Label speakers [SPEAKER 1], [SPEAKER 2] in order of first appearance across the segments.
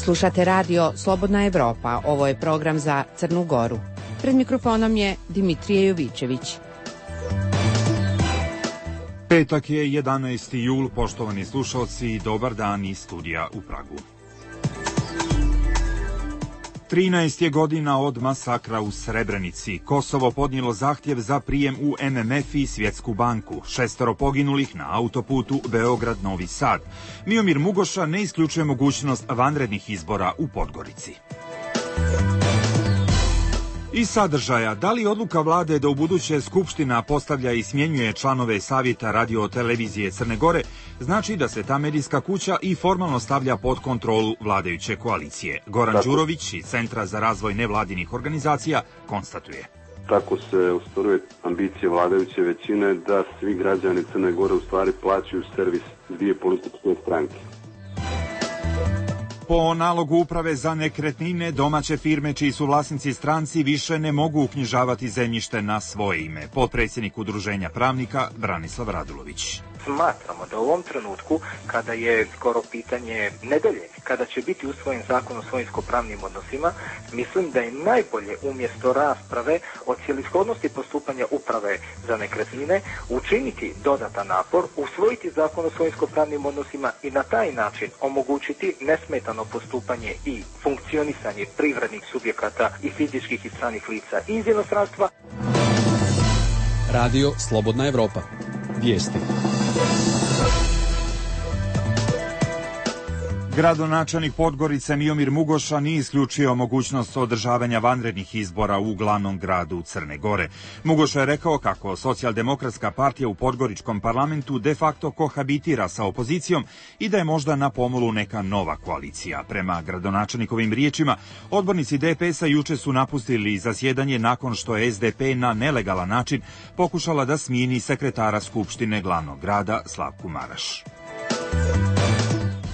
[SPEAKER 1] Slušate radio Slobodna Evropa, ovo je program za Crnu Goru. Pred mikrofonom je Dimitrije Jovičević.
[SPEAKER 2] Petak je 11. jul, poštovani slušalci, dobar dan iz studija u Pragu. 13 je godina od masakra u Srebrenici. Kosovo podnijelo zahtjev za prijem u MMF i Svjetsku banku. 6 poginulih na autoputu Beograd-Novi Sad. Miomir Mugoša ne isključuje mogućnost vanrednih izbora u Podgorici. Iz sadržaja, da li odluka vlade da ubuduće Skupština postavlja i smjenjuje članove Savjeta radio-televizije Crne Gore znači da se ta medijska kuća i formalno stavlja pod kontrolu vladajuće koalicije? Goran Đurović iz Centra za razvoj nevladinih organizacija konstatuje.
[SPEAKER 3] Tako se ostvaruje ambicije vladajuće većine da svi građani Crne Gore u stvari plaćaju servis dvije političke stranke.
[SPEAKER 2] Po nalogu Uprave za nekretnine, domaće firme čiji su vlasnici stranci više ne mogu uknjižavati zemljište na svoje ime. Potpredsjednik Udruženja pravnika Branislav Radulović.
[SPEAKER 4] Smatramo da u ovom trenutku, kada je skoro pitanje nedelje, kada će biti usvojen zakon o svojinsko-pravnim odnosima, mislim da je najbolje umjesto rasprave o cjelishodnosti postupanja Uprave za nekretnine učiniti dodatan napor, usvojiti zakon o svojinsko-pravnim odnosima i na taj način omogućiti nesmetano postupanje i funkcionisanje privrednih subjekata i fizičkih i stranih lica iz inostranstva.
[SPEAKER 5] Radio Slobodna Evropa. Vijesti.
[SPEAKER 2] Gradonačelnik Podgorice Miomir Mugoša nije isključio mogućnost održavanja vanrednih izbora u glavnom gradu Crne Gore. Mugoša je rekao kako Socijaldemokratska partija u Podgoričkom parlamentu de facto kohabitira sa opozicijom i da je možda na pomolu neka nova koalicija. Prema gradonačelnikovim riječima, odbornici DPS-a juče su napustili zasjedanje nakon što je SDP na nelegalan način pokušala da smijeni sekretara Skupštine glavnog grada Slavku Maraš.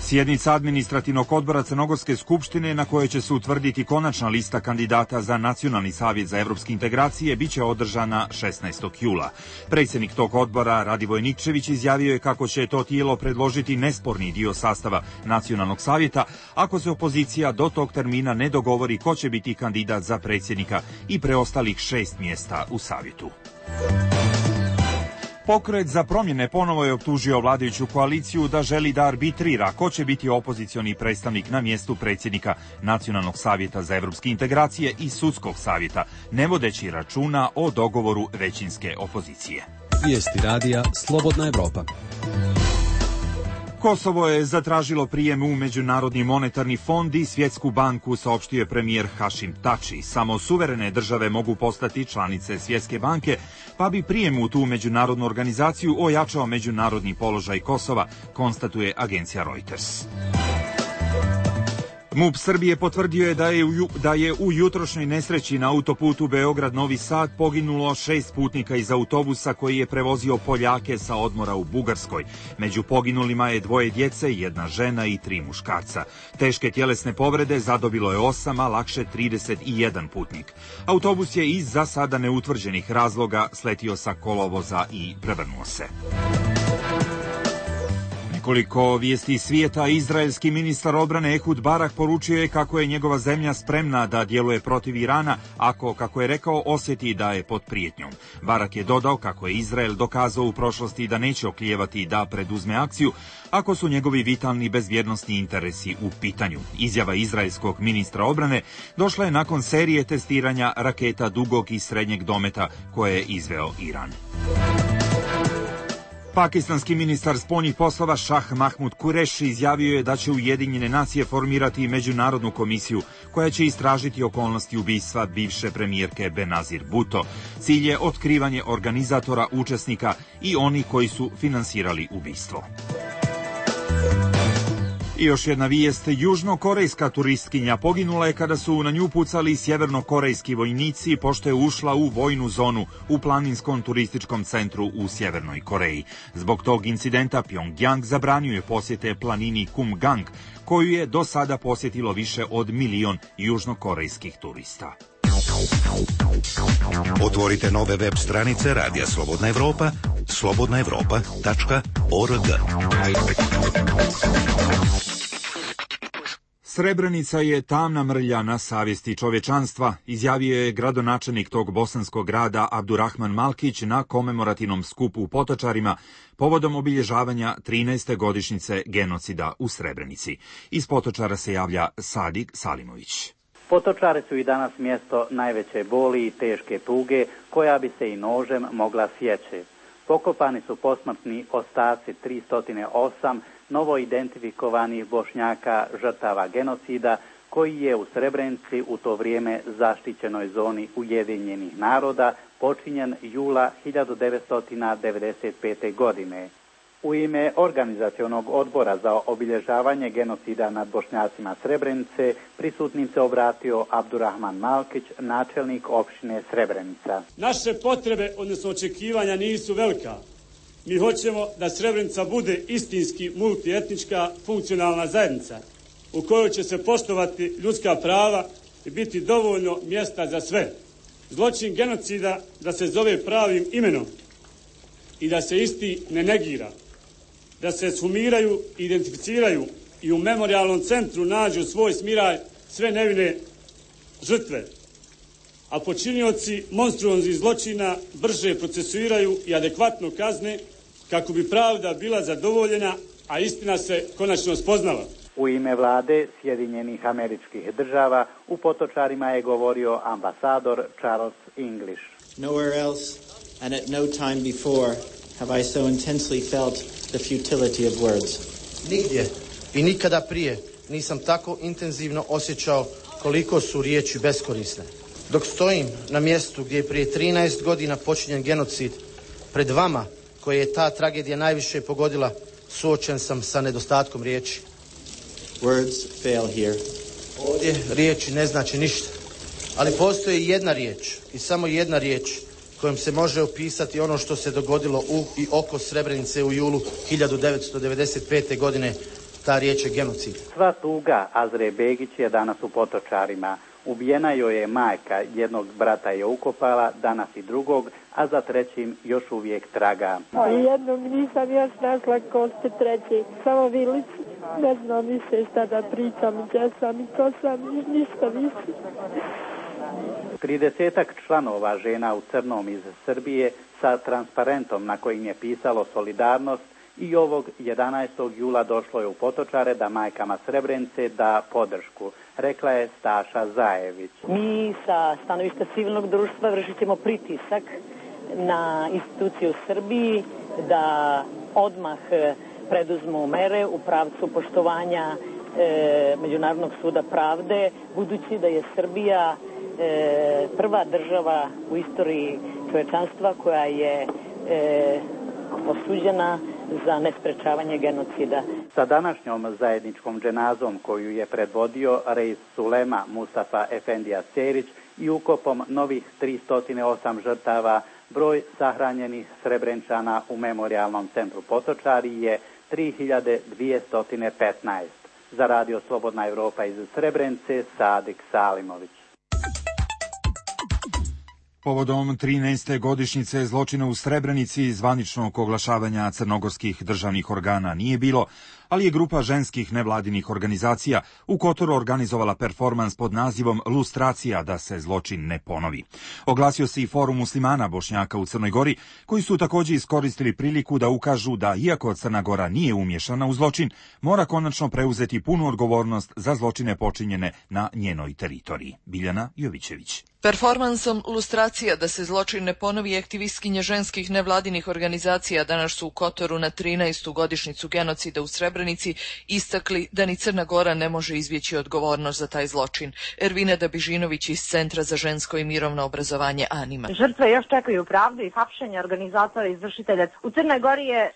[SPEAKER 2] Sjednica administrativnog odbora Crnogorske skupštine na kojoj će se utvrditi konačna lista kandidata za Nacionalni savjet za evropske integracije biće održana 16. jula. Predsjednik tog odbora Radivoj Nikčević izjavio je kako će to tijelo predložiti nesporni dio sastava Nacionalnog savjeta ako se opozicija do tog termina ne dogovori ko će biti kandidat za predsjednika i preostalih 6 mjesta u savjetu. Pokret za promjene ponovo je optužio vladajuću koaliciju da želi da arbitrira ko će biti opozicioni predstavnik na mjestu predsjednika Nacionalnog savjeta za evropske integracije i Sudskog savjeta, ne vodeći računa o dogovoru većinske opozicije.
[SPEAKER 5] Vijesti radija Slobodna Evropa.
[SPEAKER 2] Kosovo je zatražilo prijem u Međunarodni monetarni fond i Svjetsku banku, saopštio je premijer Hašim Tači. Samo suverene države mogu postati članice Svjetske banke, pa bi prijem u tu međunarodnu organizaciju ojačao međunarodni položaj Kosova, konstatuje agencija Reuters. MUP Srbije potvrdio je da je u jutrošnjoj nesreći na autoputu Beograd-Novi Sad poginulo 6 putnika iz autobusa koji je prevozio Poljake sa odmora u Bugarskoj. Među poginulima je 2 djece, 1 žena i 3 muškarca. Teške tjelesne povrede zadobilo je 8, a lakše 31 putnik. Autobus je iz za sada neutvrđenih razloga sletio sa kolovoza i prevrnuo se. Nekoliko vijesti iz svijeta. Izraelski ministar odbrane Ehud Barak poručio je kako je njegova zemlja spremna da djeluje protiv Irana ako, kako je rekao, osjeti da je pod prijetnjom. Barak je dodao kako je Izrael dokazao u prošlosti da neće oklijevati da preduzme akciju ako su njegovi vitalni bezbjednosni interesi u pitanju. Izjava izraelskog ministra odbrane došla je nakon serije testiranja raketa dugog i srednjeg dometa koje je izveo Iran. Pakistanski ministar spoljnih poslova Šah Mahmud Kureši izjavio je da će Ujedinjene nacije formirati međunarodnu komisiju koja će istražiti okolnosti ubistva bivše premijerke Benazir Bhutto. Cilj je otkrivanje organizatora, učesnika i oni koji su finansirali ubistvo. I još jedna vijest, južnokorejska turistkinja poginula je kada su na nju pucali sjevernokorejski vojnici pošto je ušla u vojnu zonu u planinskom turističkom centru u Sjevernoj Koreji. Zbog tog incidenta Pyongyang zabranio je posjete planini Kumgang, koju je do sada posjetilo više od 1 milion južnokorejskih turista.
[SPEAKER 6] Otvorite nove web stranice Radija Slobodna Evropa, slobodnaevropa.org.
[SPEAKER 2] Srebrenica je tamna mrlja na savjesti čovječanstva, izjavio je gradonačelnik tog bosanskog grada Abdurrahman Malkić na komemorativnom skupu u Potočarima povodom obilježavanja 13. godišnjice genocida u Srebrenici. Iz Potočara se javlja Sadik Salimović.
[SPEAKER 7] Potočari su i danas mjesto najveće boli i teške tuge koja bi se i nožem mogla sjeći. Pokopani su posmrtni ostaci 308 novo identifikovanih Bošnjaka žrtava genocida koji je u Srebrenici u to vrijeme zaštićenoj zoni Ujedinjenih naroda počinjen jula 1995. godine. U ime organizacionog odbora za obilježavanje genocida nad Bošnjacima Srebrenice prisutnim se obratio Abdurrahman Malkić, načelnik opštine Srebrenica.
[SPEAKER 8] Naše potrebe, odnosno očekivanja, nisu velika. Mi hoćemo da Srebrenica bude istinski multietnička funkcionalna zajednica u kojoj će se poštovati ljudska prava i biti dovoljno mjesta za sve. Zločin genocida da se zove pravim imenom i da se isti ne negira, da se sumiraju, identificiraju i u memorijalnom centru nađu svoj smiraj sve nevine žrtve, a počinioci monstruoznih zločina brže procesuiraju i adekvatno kazne kako bi pravda bila zadovoljena, a istina se konačno spoznala.
[SPEAKER 7] U ime vlade Sjedinjenih Američkih Država u Potočarima je govorio ambasador Charles English.
[SPEAKER 9] Nowhere else and at no time before have I so intensely felt the futility of words.
[SPEAKER 10] Nigdje i nikada prije nisam tako intenzivno osjećao koliko su riječi beskorisne. Dok stojim na mjestu gdje je prije 13 godina počinjen genocid, pred vama koje je ta tragedija najviše pogodila, suočen sam sa nedostatkom riječi.
[SPEAKER 9] Words fail here.
[SPEAKER 10] Ovdje riječi ne znači ništa, ali postoji jedna riječ i samo jedna riječ kojom se može opisati ono što se dogodilo u i oko Srebrenice u julu 1995. godine. Ta riječ je genocid.
[SPEAKER 7] Sva tuga Azre Begić je danas u Potočarima. Ubijena joj je majka, jednog brata je ukopala, danas i drugog, a za trećim još uvijek traga.
[SPEAKER 11] Jednog nisam još našla kosti, treći samo vilic. Ne znam više šta da pričam, gdje sam i ko sam, ništa više.
[SPEAKER 7] 30 članova žena u crnom iz Srbije sa transparentom na kojim je pisalo solidarnost i ovog 11. jula došlo je u Potočare da majkama Srebrenice da podršku, rekla je Staša Zajević.
[SPEAKER 12] Mi sa stanovišta civilnog društva vršit ćemo pritisak na institucije u Srbiji da odmah preduzmu mere u pravcu poštovanja Međunarodnog suda pravde, budući da je Srbija prva država u istoriji čovječanstva koja je osuđena za nesprečavanje genocida.
[SPEAKER 7] Sa današnjom zajedničkom dženazom koju je predvodio Reis Sulema Mustafa Efendija Cerić i ukopom novih 308 žrtava, broj sahranjenih Srebrenčana u memorijalnom centru Potočari je 3215. Za Radio Slobodna Evropa iz Srebrenice, Sadik Salimović.
[SPEAKER 2] Povodom 13. godišnjice zločina u Srebrenici zvaničnog oglašavanja crnogorskih državnih organa nije bilo, ali je grupa ženskih nevladinih organizacija u Kotoru organizovala performans pod nazivom Lustracija da se zločin ne ponovi. Oglasio se i Forum muslimana Bošnjaka u Crnoj Gori, koji su također iskoristili priliku da ukažu da, iako Crna Gora nije umješana u zločin, mora konačno preuzeti punu odgovornost za zločine počinjene na njenoj teritoriji. Biljana Jovićević.
[SPEAKER 13] Performansom Lustracija da se zločin ne ponovi aktivistkinje ženskih nevladinih organizacija danas su u Kotoru na 13. godišnjicu genocida u Srebrenici istakli da ni Crna Gora ne može izbjeći odgovornost za taj zločin. Ervina Dabižinović iz Centra za žensko i mirovno obrazovanje Anima.
[SPEAKER 14] Žrtve još čekaju pravdu i hapšenje organizatora i izvršitelja. U Crnoj Gori je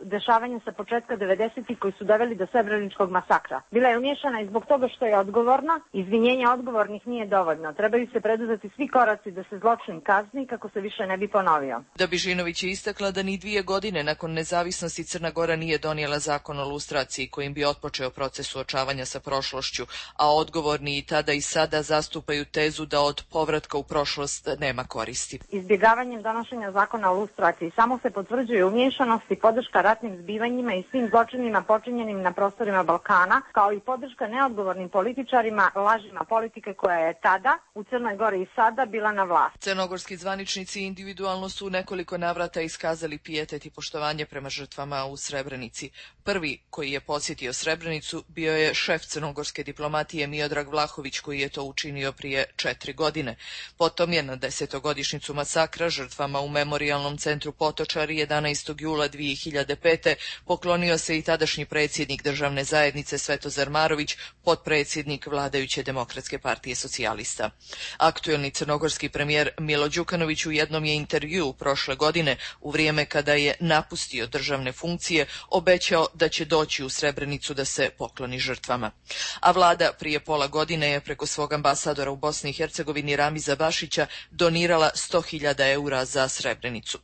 [SPEAKER 14] dešavanje sa početka 90-ih koji su doveli do srebreničkog masakra. Bila je umiješana i zbog toga što je odgovorna. Izvinjenja odgovornih nije dovoljno. Trebaju se preduzeti svi koraci da se zločin kazni kako se više ne bi ponovio.
[SPEAKER 13] Dabižinović je istakla da ni 2 godine nakon nezavisnosti Crna Gora nije donijela zakon o lustraciji kojim bi otpočeo proces suočavanja sa prošlošću, a odgovorni i tada i sada zastupaju tezu da od povratka u prošlost nema koristi.
[SPEAKER 14] Izbjegavanjem donošenja zakona o lustraciji samo se potvrđuje umiješanost i podrška ratnim zbivanjima i svim zločinima počinjenim na prostorima Balkana, kao i podrška neodgovornim političarima, lažima politike koja je tada u Crnoj Gori i sada bila na vlasti.
[SPEAKER 13] Crnogorski zvaničnici individualno su u nekoliko navrata iskazali pijetet i poštovanje prema žrtvama u Srebrenici. Prvi koji je posjetio Srebrenicu bio je šef crnogorske diplomatije Miodrag Vlahović, koji je to učinio prije 4 godine. Potom je na 10-godišnjicu masakra žrtvama u memorijalnom centru Potočari 11. jula 2005. poklonio se i tadašnji predsjednik državne zajednice Svetozar Marović, potpredsjednik vladajuće Demokratske partije socijalista. Aktuelni crnogorski premijer Milo Đukanović u jednom je intervjuu prošle godine, u vrijeme kada je napustio državne funkcije, obećao da će doći u Srebrenicu da se pokloni žrtvama. A vlada prije pola godine je preko svog ambasadora u Bosni i Hercegovini Ramiza Bašića donirala 100.000 eura za Srebrenicu.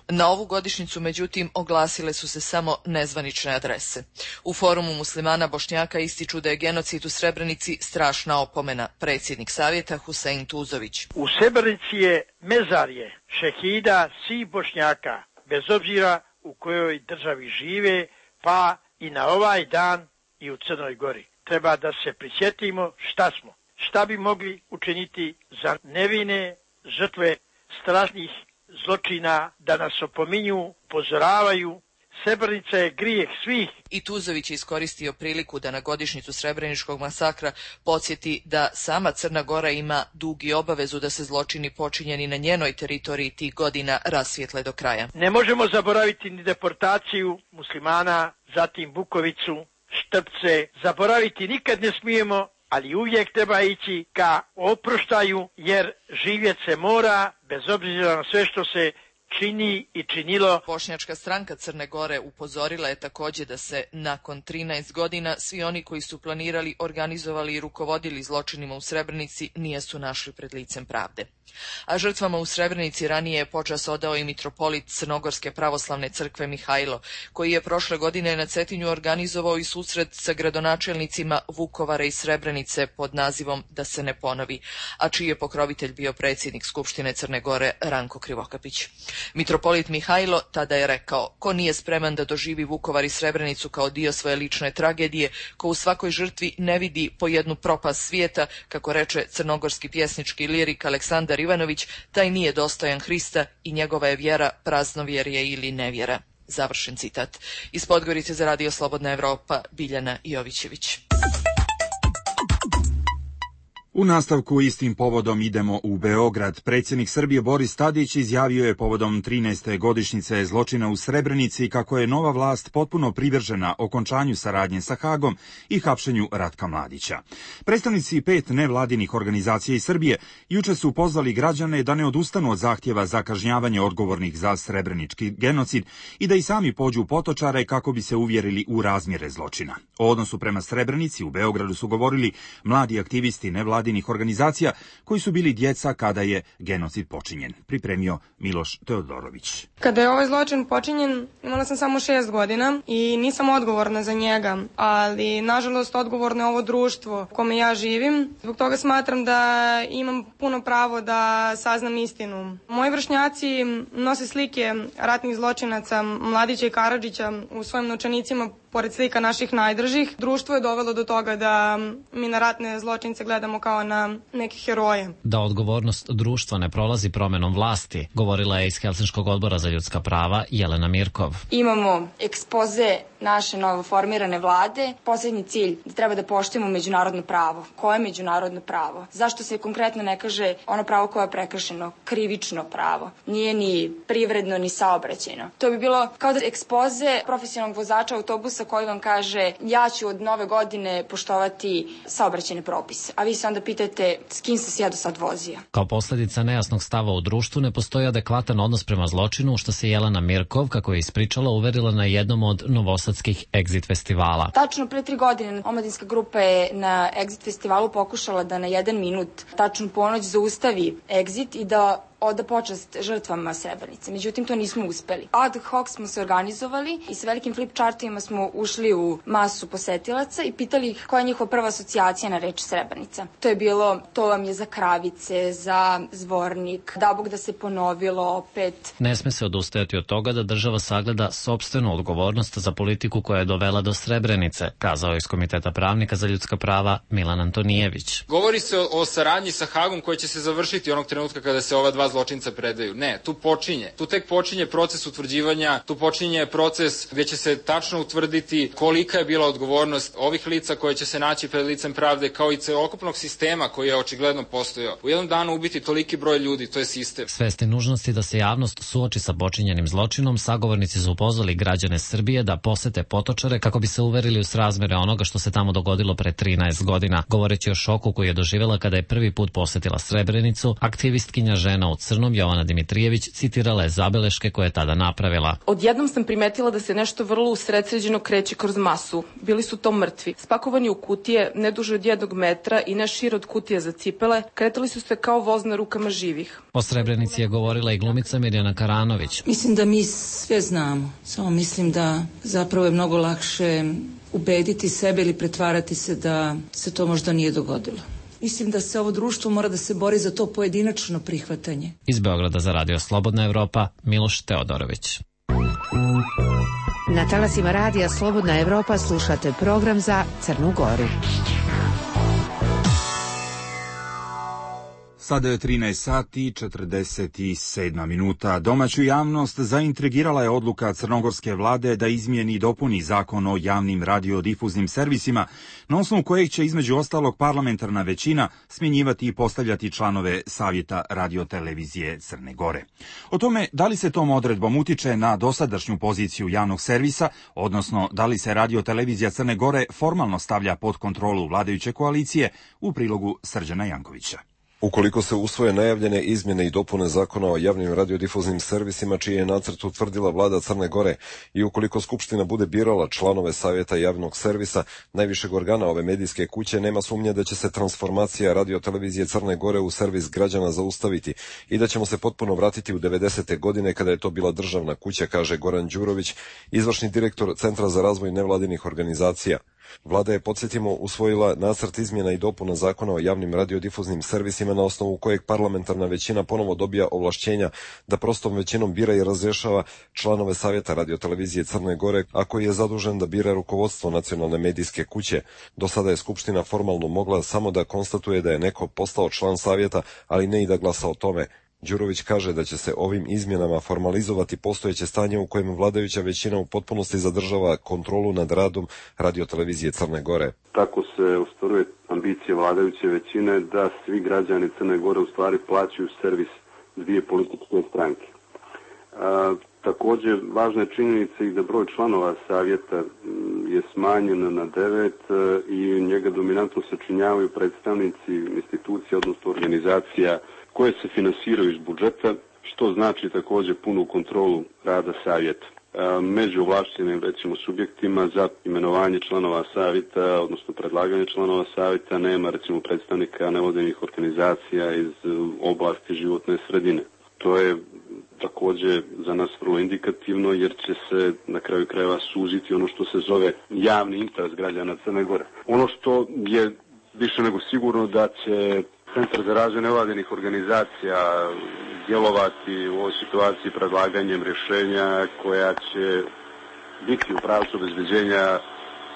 [SPEAKER 13] Na ovu godišnjicu, međutim, oglasile su se samo nezvanične adrese. U Forumu muslimana Bošnjaka ističu da je genocid u Srebrenici strašna opomena. Predsjednik savjeta Husein Tuzović.
[SPEAKER 15] U Srebrenici je mezarje šehida svih Bošnjaka, bez obzira u kojoj državi žive, pa i na ovaj dan i u Crnoj Gori. Treba da se prisjetimo šta smo, šta bi mogli učiniti za nevine žrtve strašnih zločina, da nas opominju, upozoravaju. Srebrenica je grijeh svih.
[SPEAKER 13] I Tuzović je iskoristio priliku da na godišnjicu Srebreničkog masakra podsjeti da sama Crna Gora ima dug i obavezu da se zločini počinjeni na njenoj teritoriji tih godina rasvijetle do kraja.
[SPEAKER 15] Ne možemo zaboraviti ni deportaciju muslimana, zatim Bukovicu, Štrpce. Zaboraviti nikad ne smijemo, ali uvijek treba ići ka oproštaju, jer živjet se mora bez obzira na sve što se čini i činilo.
[SPEAKER 13] Bošnjačka stranka Crne Gore upozorila je također da se nakon 13 godina svi oni koji su planirali, organizovali i rukovodili zločinima u Srebrenici nisu našli pred licem pravde. A žrtvama u Srebrenici ranije je počast odao i mitropolit Crnogorske pravoslavne crkve Mihajlo, koji je prošle godine na Cetinju organizovao i susret sa gradonačelnicima Vukovara i Srebrenice pod nazivom Da se ne ponovi, a čiji je pokrovitelj bio predsjednik Skupštine Crne Gore Ranko Krivokapić. Mitropolit Mihajlo tada je rekao: ko nije spreman da doživi Vukovar i Srebrenicu kao dio svoje lične tragedije, ko u svakoj žrtvi ne vidi po jednu propast svijeta, kako reče crnogorski pjesnički lirik Aleksandar Ivanović, taj nije dostojan Hrista i njegova je vjera praznovjerje ili nevjera. Završen citat. Iz Podgorice za Radio Slobodna Evropa, Biljana Jovićević.
[SPEAKER 2] U nastavku istim povodom idemo u Beograd. Predsjednik Srbije Boris Tadić izjavio je povodom 13. godišnjice zločina u Srebrenici kako je nova vlast potpuno privržena okončanju saradnje sa Hagom i hapšenju Ratka Mladića. Predstavnici 5 nevladinih organizacija iz Srbije juče su pozvali građane da ne odustanu od zahtjeva za kažnjavanje odgovornih za srebrenički genocid i da i sami pođu u Potočare kako bi se uvjerili u razmjere zločina. O odnosu prema Srebrenici u Beogradu su govorili mladi aktivisti nevladinih organizacija koji su bili djeca kada je genocid počinjen. Pripremio Miloš Teodorović.
[SPEAKER 16] Kada je ovaj zločin počinjen, imala sam samo 6 godina i nisam odgovorna za njega, ali nažalost odgovorno je ovo društvo u kome ja živim. Zbog toga smatram da imam puno pravo da saznam istinu. Moji vršnjaci nose slike ratnih zločinaca Mladića i Karadžića u svojim novčanicima pored slika naših najdražih. Društvo je dovelo do toga da mi na ratne zločince gledamo kao na neke heroje.
[SPEAKER 17] Da odgovornost društva ne prolazi promjenom vlasti, govorila je iz Helsinškog odbora za ljudska prava Jelena Mirkov.
[SPEAKER 18] Imamo ekspoze naše novoformirane vlade. Posljednji cilj da treba da poštujemo međunarodno pravo. Koje je međunarodno pravo? Zašto se konkretno ne kaže ono pravo koje je prekršeno? Krivično pravo. Nije ni privredno ni saobraćajno. To bi bilo kao da ekspoze profesionalnog vozača autobusa koji vam kaže ja ću od nove godine poštovati saobraćajne propise. A vi se onda pitate s kim sam se ja do sad vozio.
[SPEAKER 17] Kao posljedica nejasnog stava u društvu ne postoji adekvatan odnos prema zločinu, što se Jelena Mirkov, kako je ispričala, uverila na jednom od novosadskih Exit festivala.
[SPEAKER 18] Tačno pre 3 godine omladinska grupa je na Exit festivalu pokušala da na 1 minut, tačno ponoć, zaustavi Exit i da oda počast žrtvama Srebrenice. Međutim, to nismo uspeli. Ad hoc smo se organizovali i sa velikim flip chartovima smo ušli u masu posetilaca i pitali ih koja je njihova prva asocijacija na reč Srebrenica. To je bilo, to vam je za Kravice, za Zvornik, da Bog da se ponovilo opet.
[SPEAKER 17] Ne sme se odustajati od toga da država sagleda sopstvenu odgovornost za politiku koja je dovela do Srebrenice, kazao je iz Komiteta pravnika za ljudska prava Milan Antonijević.
[SPEAKER 19] Govori se o saradnji sa Hagom koja će se završiti onog trenutka kada se ova dva zločinca predaju. Ne, tu tek počinje proces utvrđivanja, tu počinje proces gdje će se tačno utvrditi kolika je bila odgovornost ovih lica koje će se naći pred licem pravde, kao i celokupnog sistema koji je očigledno postojao. U jednom danu ubiti toliki broj ljudi, to je sistem.
[SPEAKER 17] Svesni nužnosti da se javnost suoči sa počinjenim zločinom, sagovornici su pozvali građane Srbije da posete Potočare kako bi se uverili u srazmere onoga što se tamo dogodilo pre 13 godina. Govoreći o šoku koji je doživjela kada je prvi put posetila Srebrenicu, aktivistkinja Žena u crnom Jovana Dimitrijević citirala je zabeleške koje je tada napravila.
[SPEAKER 20] Odjednom sam primetila da se nešto vrlo usredsređeno kreće kroz masu. Bili su to mrtvi, spakovani u kutije, ne duže od 1 metra i ne šire od kutije za cipele, kretali su se kao voz na rukama živih.
[SPEAKER 17] O Srebrenici je govorila i glumica Mirjana Karanović.
[SPEAKER 21] Mislim da mi sve znamo, samo mislim da zapravo je mnogo lakše ubediti sebe ili pretvarati se da se to možda nije dogodilo. Mislim da se ovo društvo mora da se bori za to pojedinačno prihvatanje.
[SPEAKER 17] Iz Beograda za Radio Slobodna Evropa, Miloš Teodorović.
[SPEAKER 1] Na talasima Radija Slobodna Evropa slušate program za Crnu Goru.
[SPEAKER 2] Sada je 13 sati 47 minuta. Domaću javnost zaintrigirala je odluka crnogorske vlade da izmijeni i dopuni zakon o javnim radiodifuznim servisima, na osnovu kojeg će između ostalog parlamentarna većina smjenjivati i postavljati članove Savjeta radiotelevizije Crne Gore. O tome da li se tom odredbom utiče na dosadašnju poziciju javnog servisa, odnosno da li se radiotelevizija Crne Gore formalno stavlja pod kontrolu vladajuće koalicije, u prilogu Srđana Jankovića.
[SPEAKER 22] Ukoliko se usvoje najavljene izmjene i dopune zakona o javnim radiodifuznim servisima čiji je nacrt utvrdila vlada Crne Gore i ukoliko Skupština bude birala članove Savjeta javnog servisa, najvišeg organa ove medijske kuće, nema sumnje da će se transformacija radiotelevizije Crne Gore u servis građana zaustaviti i da ćemo se potpuno vratiti u 90. godine kada je to bila državna kuća, kaže Goran Đurović, izvršni direktor Centra za razvoj nevladinih organizacija. Vlada je, podsjetimo, usvojila nacrt izmjena i dopuna zakona o javnim radiodifuznim servisima na osnovu kojeg parlamentarna većina ponovo dobija ovlašćenja da prostom većinom bira i razrješava članove Savjeta radiotelevizije Crne Gore, a koji je zadužen da bira rukovodstvo nacionalne medijske kuće. Do sada je Skupština formalno mogla samo da konstatuje da je neko postao član Savjeta, ali ne i da glasa o tome. Đurović kaže da će se ovim izmjenama formalizovati postojeće stanje u kojem vladajuća većina u potpunosti zadržava kontrolu nad radom radiotelevizije Crne Gore.
[SPEAKER 3] Tako se ostvaruje ambicija vladajuće većine da svi građani Crne Gore u stvari plaćaju servis dvije političke stranke. Također, važna je činjenica i da broj članova savjeta je smanjen na 9 i njega dominantno sačinjavaju predstavnici institucija, odnosno organizacija koje se finansiraju iz budžeta, što znači također punu kontrolu rada savjeta. Među ovlašćenim, recimo, subjektima za imenovanje članova savjeta, odnosno predlaganje članova savjeta, nema, recimo, predstavnika nevladinih organizacija iz oblasti životne sredine. To je također za nas vrlo indikativno, jer će se na kraju krajeva suziti ono što se zove javni interes građana Crne Gore. Ono što je više nego sigurno da će Centar za razvoj nevladinih organizacija djelovati u ovoj situaciji predlaganjem rješenja koja će biti u pravcu obezbeđenja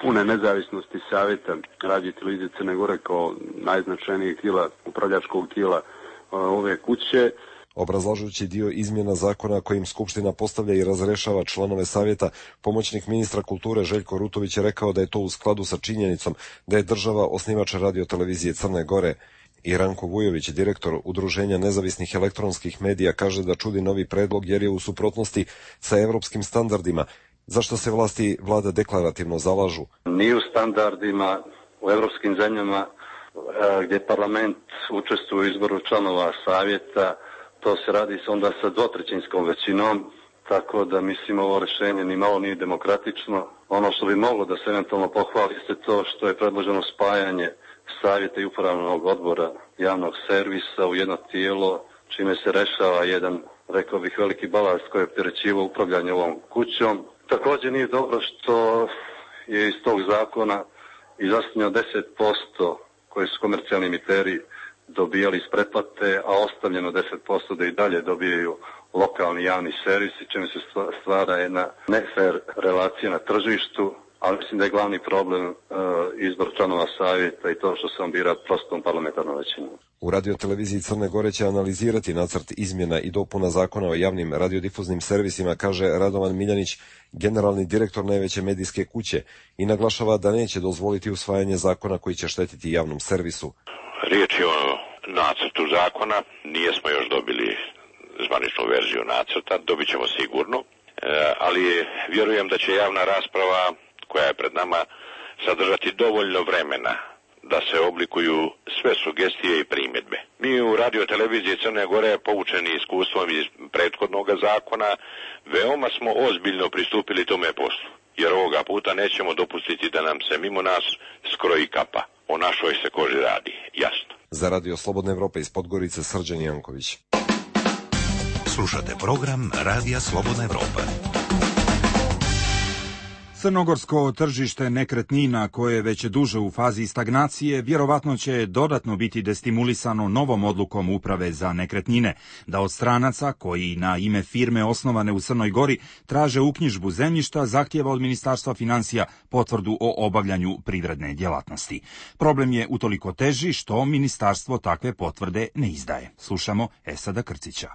[SPEAKER 3] pune nezavisnosti Savjeta radiotelevizije Crne Gore kao najznačajnijeg tijela, upravljačkog tijela ove kuće.
[SPEAKER 22] Obrazlažući dio izmjena zakona kojim Skupština postavlja i razrešava članove savjeta, pomoćnik ministra kulture Željko Rutović je rekao da je to u skladu sa činjenicom da je država osnivač radiotelevizije Crne Gore. I Ranko Vujović, direktor Udruženja nezavisnih elektronskih medija, kaže da čudi novi predlog jer je u suprotnosti sa evropskim standardima. Zašto se vlasti vlada deklarativno zalažu?
[SPEAKER 23] Nije u standardima u evropskim zemljama gdje parlament učestvuje u izboru članova savjeta. To se radi onda sa dvotrećinskom većinom, tako da mislim ovo rješenje ni malo nije demokratično. Ono što bi moglo da se eventualno pohvali jeste to što je predloženo spajanje savjeta i upravnog odbora javnog servisa u jedno tijelo čime se rešava jedan, rekao bih, veliki balast koji je opterećivao upravljanje ovom kućom. Također nije dobro što je iz tog zakona izostavljeno 10% koji su komercijalni emiteri dobijali iz pretplate, a ostavljeno 10% da i dalje dobijaju lokalni javni servisi, čime se stvara jedna nefer relacija na tržištu, ali mislim da je glavni problem izbor članova savjeta i to što se on bira prostom parlamentarnom većinom.
[SPEAKER 22] U radioteleviziji Crne Gore će analizirati nacrt izmjena i dopuna zakona o javnim radiodifuznim servisima, kaže Radovan Miljanić, generalni direktor najveće medijske kuće, i naglašava da neće dozvoliti usvajanje zakona koji će štetiti javnom servisu.
[SPEAKER 4] Riječ je o nacrtu zakona, nijesmo još dobili zvaničnu verziju nacrta, dobit ćemo sigurno, ali vjerujem da će javna rasprava koja je pred nama sadržati dovoljno vremena da se oblikuju sve sugestije i primjedbe. Mi u radioteleviziji Crne Gore, poučeni iskustvom iz prethodnog zakona, veoma smo ozbiljno pristupili tome poslu, jer ovoga puta nećemo dopustiti da nam se mimo nas skroji kapa. O našoj se koži radi, jasno.
[SPEAKER 22] Za Radio Slobodna Evropa iz Podgorice, Srđan Janković.
[SPEAKER 5] Slušate program Radija Slobodna Evropa.
[SPEAKER 2] Crnogorsko tržište nekretnina, koje je već duže u fazi stagnacije, vjerovatno će dodatno biti destimulisano novom odlukom Uprave za nekretnine, da od stranaca koji na ime firme osnovane u Crnoj Gori traže uknjižbu zemljišta zahtijeva od Ministarstva financija potvrdu o obavljanju privredne djelatnosti. Problem je utoliko teži što ministarstvo takve potvrde ne izdaje. Slušamo Esada Krcića.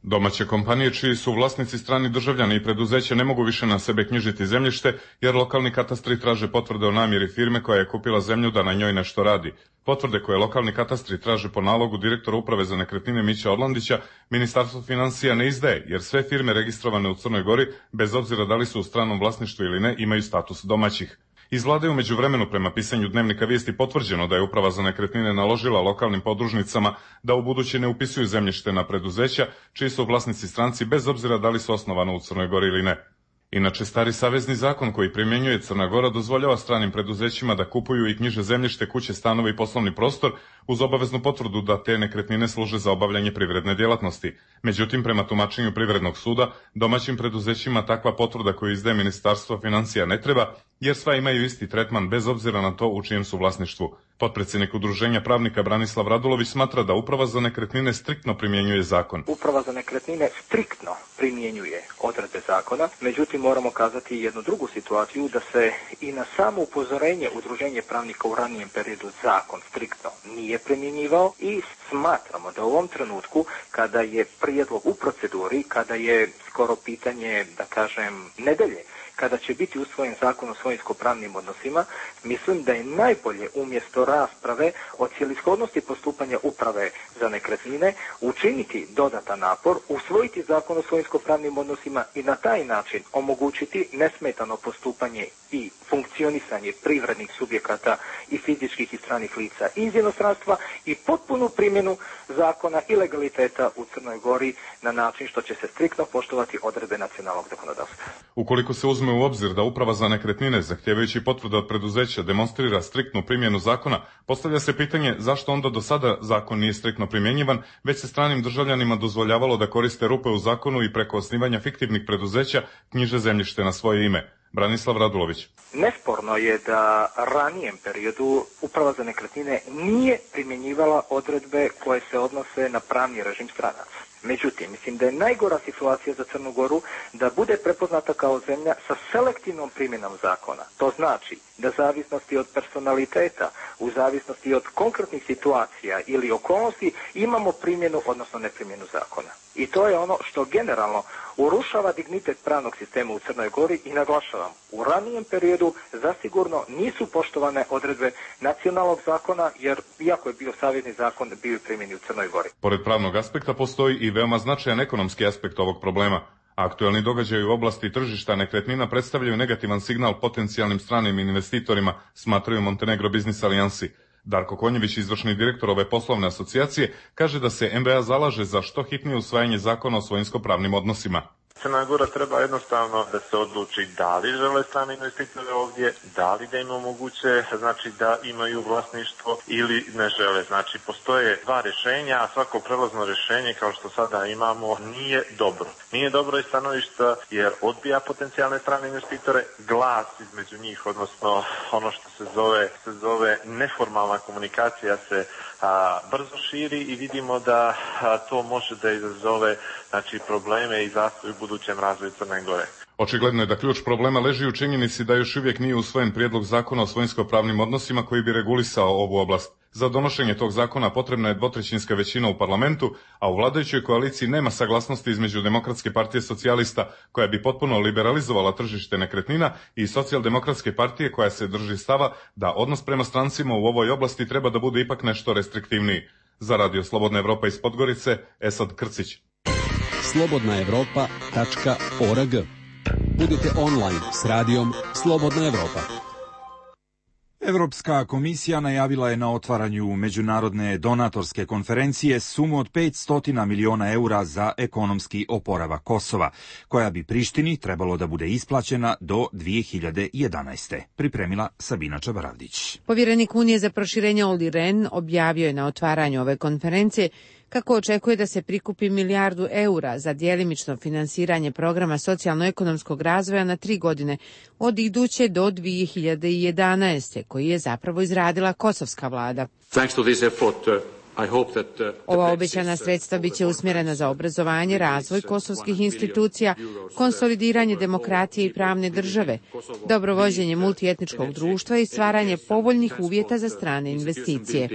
[SPEAKER 6] Domaće kompanije čiji su vlasnici strani državljani i preduzeće ne mogu više na sebe knjižiti zemljište, jer lokalni katastri traže potvrde o namjeri firme koja je kupila zemlju da na njoj nešto radi. Potvrde koje lokalni katastri traže po nalogu direktora Uprave za nekretnine Mića Orlandića, Ministarstvo financija ne izdaje, jer sve firme registrovane u Crnoj Gori, bez obzira da li su u stranom vlasništvu ili ne, imaju status domaćih. Iz vlade u međuvremenu, prema pisanju Dnevnika Vijesti, potvrđeno da je Uprava za nekretnine naložila lokalnim podružnicama da ubuduće ne upisuju zemljište na preduzeća čiji su vlasnici stranci, bez obzira da li su osnovano u Crnoj Gori ili ne. Inače, stari savezni zakon koji primjenjuje Crna Gora dozvoljava stranim preduzećima da kupuju i knjiže zemljište, kuće, stanove i poslovni prostor uz obaveznu potvrdu da te nekretnine služe za obavljanje privredne djelatnosti. Međutim, prema tumačenju Privrednog suda, domaćim preduzećima takva potvrda koju izdaje Ministarstvo financija ne treba, jer sva imaju isti tretman bez obzira na to u čijem su vlasništvu. Potpredsjednik Udruženja pravnika Branislav Radulović smatra da Uprava za nekretnine striktno primjenjuje zakon.
[SPEAKER 24] Uprava za nekretnine striktno primjenjuje odredbe zakona, međutim moramo kazati jednu drugu situaciju, da se i na samo upozorenje Udruženja pravnika u ranijem periodu zakon striktno nije primjenjivao i smatramo da u ovom trenutku, kada je prijedlog u proceduri, kada je skoro pitanje, da kažem, nedelje, kada će biti usvojen zakon o svojinsko-pravnim odnosima, mislim da je najbolje umjesto rasprave o cjelishodnosti postupanja Uprave za nekretnine učiniti dodatan napor, usvojiti zakon o svojinsko-pravnim odnosima i na taj način omogućiti nesmetano postupanje i funkcionisanje privrednih subjekata i fizičkih i stranih lica iz inostranstva i potpunu primjenu zakona i legaliteta u Crnoj Gori na način što će se striktno poštovati odredbe nacionalnog zakonodavstva.
[SPEAKER 6] Ukoliko se uzme u obzir da Uprava za nekretnine, zahtijevajući potvrdu od preduzeća, demonstrira striktnu primjenu zakona, postavlja se pitanje zašto onda do sada zakon nije striktno primjenjivan, već se stranim državljanima dozvoljavalo da koriste rupe u zakonu i preko osnivanja fiktivnih preduzeća knjiže zemljište na svoje ime. Branislav Radulović.
[SPEAKER 24] Nesporno je da ranijem periodu Uprava za nekretnine nije primjenjivala odredbe koje se odnose na pravni režim stranaca. Međutim, mislim da je najgora situacija za Crnu Goru da bude prepoznata kao zemlja sa selektivnom primjenom zakona. To znači da zavisnosti od personaliteta, u zavisnosti od konkretnih situacija ili okolnosti imamo primjenu, odnosno neprimjenu zakona. I to je ono što generalno urušava dignitet pravnog sistema u Crnoj Gori i naglašavam, u ranijem periodu zasigurno nisu poštovane odredbe nacionalnog zakona, jer iako je bio savezni zakon, bio je primjeni u Crnoj Gori.
[SPEAKER 6] Pored pravnog aspekta postoji i veoma značajan ekonomski aspekt ovog problema. Aktualni događaji u oblasti tržišta nekretnina predstavljaju negativan signal potencijalnim stranim investitorima, smatraju Montenegro Business Alijansi. Darko Konjević, izvršni direktor ove poslovne asocijacije, kaže da se MBA zalaže za što hitnije usvajanje zakona o svojinsko-pravnim odnosima.
[SPEAKER 8] Crna Gora treba jednostavno da se odluči da li žele strane investitore ovdje, da li da im omoguće, znači da imaju vlasništvo ili ne žele. Znači postoje dva rješenja, a svako prelazno rješenje kao što sada imamo nije dobro. Nije dobro iz stanovišta jer odbija potencijalne strane investitore, glas između njih, odnosno ono što se zove neformalna komunikacija se brzo širi i vidimo da to može da izazove znači probleme i zastoj u budućem razvoju Crne Gore.
[SPEAKER 6] Očigledno je da ključ problema leži u činjenici da još uvijek nije usvojen prijedlog zakona o svojinsko-pravnim odnosima koji bi regulisao ovu oblast. Za donošenje tog zakona potrebna je dvotrećinska većina u parlamentu, a u vladajućoj koaliciji nema saglasnosti između Demokratske partije socijalista, koja bi potpuno liberalizovala tržište nekretnina, i Socijaldemokratske partije, koja se drži stava da odnos prema strancima u ovoj oblasti treba da bude ipak nešto restriktivniji. Za Radio Slobodna Evropa iz Podgorice, Esad Krcić.
[SPEAKER 9] slobodnaevropa.org. Budite online s radijom Slobodna Evropa.
[SPEAKER 2] Evropska komisija najavila je na otvaranju međunarodne donatorske konferencije sumu od 500 miliona eura za ekonomski oporavak Kosova, koja bi Prištini trebalo da bude isplaćena do 2011. Pripremila Sabina Čabaravdić.
[SPEAKER 1] Povjerenik Unije za proširenje Olli Rehn objavio je na otvaranju ove konferencije kako očekuje da se prikupi milijardu eura za djelimično finansiranje programa socijalno-ekonomskog razvoja na 3 godine od iduće do 2011. koji je zapravo izradila kosovska vlada. Ova obećana sredstva biće usmjerena za obrazovanje, razvoj kosovskih institucija, konsolidiranje demokratije i pravne države, dobrovođenje multietničkog društva i stvaranje povoljnih uvjeta za strane investicije.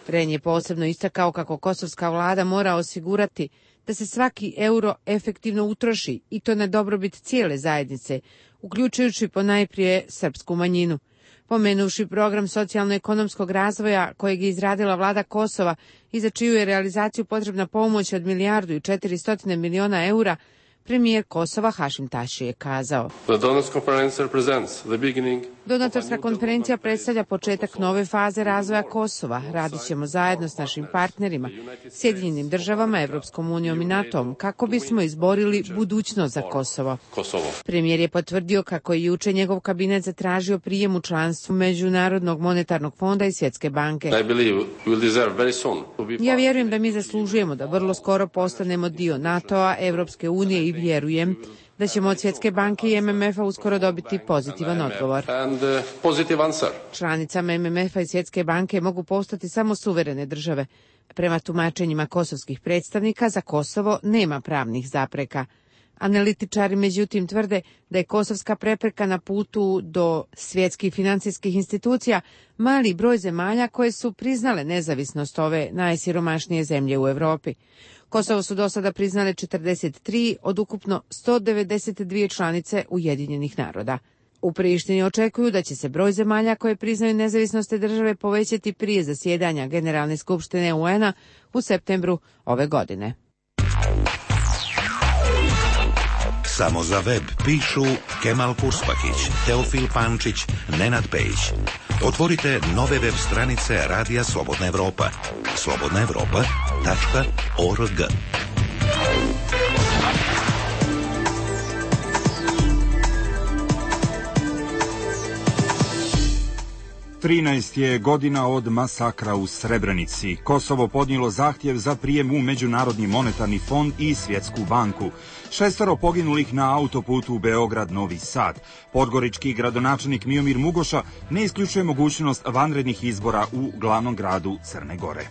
[SPEAKER 1] Rehn je posebno istakao kako kosovska vlada mora osigurati da se svaki euro efektivno utroši i to na dobrobit cijele zajednice, uključujući ponajprije srpsku manjinu. Pomenuvši program socijalno-ekonomskog razvoja kojeg je izradila vlada Kosova i za čiju je realizaciju potrebna pomoć od milijardu i 400 miliona eura, premijer Kosova Hašim Tači je kazao: Donatorska konferencija predstavlja početak nove faze razvoja Kosova. Radit ćemo zajedno s našim partnerima, Sjedinjenim državama, Evropskom unijom i NATO-om, kako bismo izborili budućnost za Kosovo. Premijer je potvrdio kako je juče njegov kabinet zatražio prijem u članstvu Međunarodnog monetarnog fonda i Svjetske banke. Ja vjerujem da mi zaslužujemo da vrlo skoro postanemo dio NATO-a, Evropske unije i vjerujem da ćemo od Svjetske banke i MMF-a uskoro dobiti pozitivan odgovor. Članicama MMF-a i Svjetske banke mogu postati samo suverene države. Prema tumačenjima kosovskih predstavnika, za Kosovo nema pravnih zapreka. Analitičari međutim tvrde da je kosovska prepreka na putu do svjetskih financijskih institucija mali broj zemalja koje su priznale nezavisnost ove najsiromašnije zemlje u Europi. Kosovo su do sada priznale 43 od ukupno 192 članice Ujedinjenih naroda. U Prištini očekuju da će se broj zemalja koje priznaju nezavisnost te države povećati prije zasjedanja Generalne skupštine UN-a u septembru ove godine.
[SPEAKER 5] Samo za web pišu Kemal Purspakić, Teofil Pančić, Nenad Pejić. Otvorite nove web stranice Radija Slobodna Evropa. slobodnaevropa.org.
[SPEAKER 2] Trinaest je godina od masakra u Srebrenici. Kosovo podnijelo zahtjev za prijem u Međunarodni monetarni fond i Svjetsku banku. 6 poginulih na autoputu Beograd-Novi Sad. Podgorički gradonačelnik Miomir Mugoša ne isključuje mogućnost vanrednih izbora u glavnom gradu Crne Gore.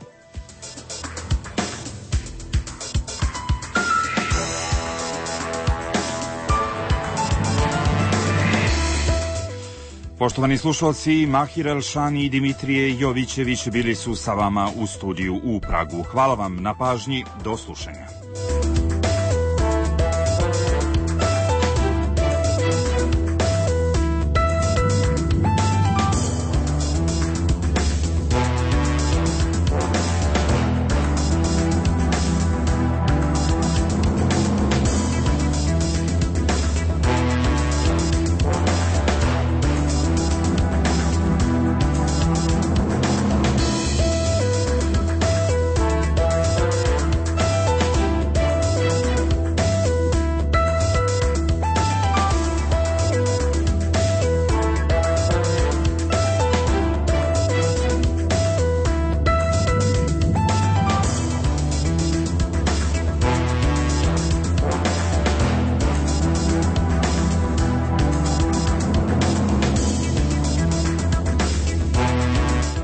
[SPEAKER 2] Poštovani slušalci, Mahir Elšani i Dimitrije Jovićević bili su sa vama u studiju u Pragu. Hvala vam na pažnji, do slušanja.